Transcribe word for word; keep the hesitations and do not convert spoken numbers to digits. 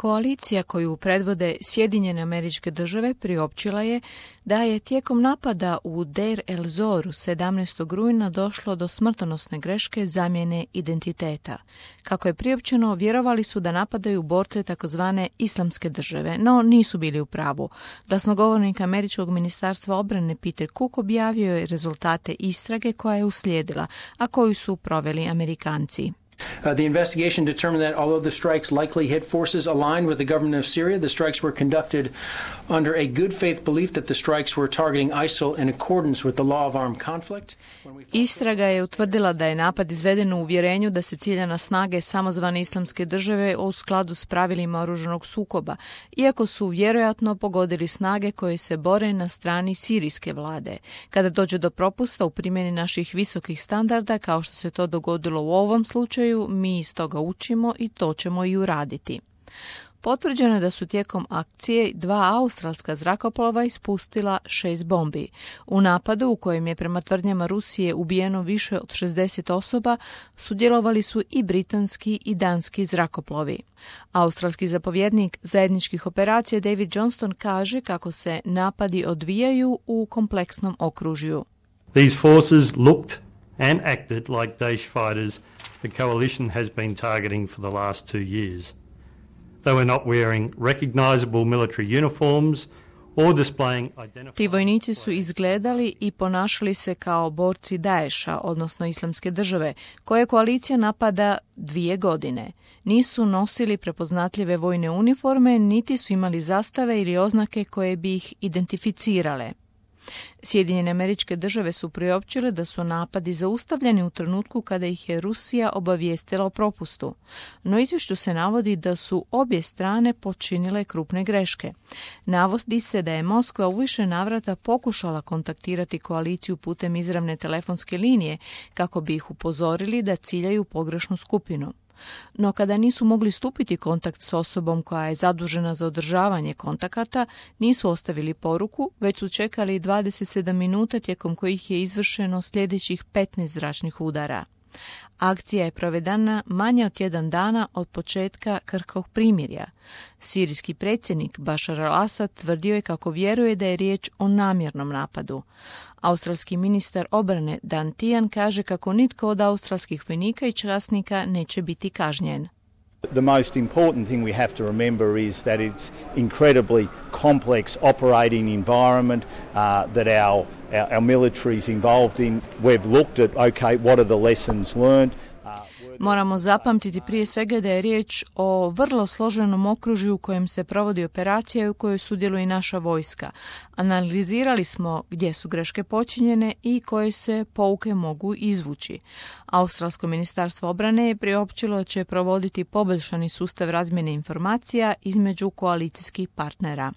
Koalicija koju predvode Sjedinjene Američke Države priopćila je da je tijekom napada u Deir el-Zoru sedamnaestog rujna došlo do smrtonosne greške zamjene identiteta. Kako je priopćeno, vjerovali su da napadaju borce takozvane Islamske države, no nisu bili u pravu. Glasnogovornik Američkog ministarstva obrane Peter Cook objavio je rezultate istrage koja je uslijedila, a koju su proveli Amerikanci. Uh, the investigation determined that although the strikes likely hit forces aligned with the government of Syria, the strikes were conducted under a good faith belief that the strikes were targeting I S I L in accordance with the law of armed conflict. Istraga je utvrdila da je napad izveden u uvjerenju da se cilja na snage samozvane Islamske države u skladu s pravilima oružanog sukoba, iako su vjerojatno pogodili snage koje se bore na strani sirijske vlade. Kada dođe do propusta u primjeni naših visokih standarda, kao što se to dogodilo u ovom slučaju, mi iz toga učimo i to ćemo i uraditi. Potvrđeno je da su tijekom akcije dva australska zrakoplova ispustila šest bombi. U napadu, u kojem je prema tvrdnjama Rusije ubijeno više od šezdeset osoba, sudjelovali su i britanski i danski zrakoplovi. Australski zapovjednik zajedničkih operacija David Johnston kaže kako se napadi odvijaju u kompleksnom okružju. These forces looked and acted like Daesh fighters the coalition has been targeting for the last two years. They were not wearing recognizable military uniforms or displaying identified... Ti vojnici su izgledali i ponašali se kao borci Daesha, odnosno Islamske države, koje koalicija napada dvije godine. Nisu nosili prepoznatljive vojne uniforme, niti su imali zastave ili oznake koje bi ih identificirale. Sjedinjene Američke Države su priopćile da su napadi zaustavljeni u trenutku kada ih je Rusija obavijestila o propustu. No izvješću se navodi da su obje strane počinile krupne greške. Navodi se da je Moskva u više navrata pokušala kontaktirati koaliciju putem izravne telefonske linije kako bi ih upozorili da ciljaju pogrešnu skupinu. No kada nisu mogli stupiti kontakt s osobom koja je zadužena za održavanje kontakata, nisu ostavili poruku, već su čekali dvadeset sedam minuta tijekom kojih je izvršeno sljedećih petnaest zračnih udara. Akcija je provedena manje od tjedan dana od početka krhkog primirja. Sirijski predsjednik Bashar al-Assad tvrdio je kako vjeruje da je riječ o namjernom napadu. Australski ministar obrane Dan Tehan kaže kako nitko od australskih vojnika i časnika neće biti kažnjen. The most important thing we have to remember is that it's incredibly complex operating environment uh, that our, our our military is involved in. We've looked at okay, what are the lessons learned. Moramo zapamtiti prije svega da je riječ o vrlo složenom okružju u kojem se provodi operacija i u kojoj sudjeluje i naša vojska. Analizirali smo gdje su greške počinjene i koje se pouke mogu izvući. Australsko ministarstvo obrane je priopćilo da će provoditi poboljšani sustav razmjene informacija između koalicijskih partnera.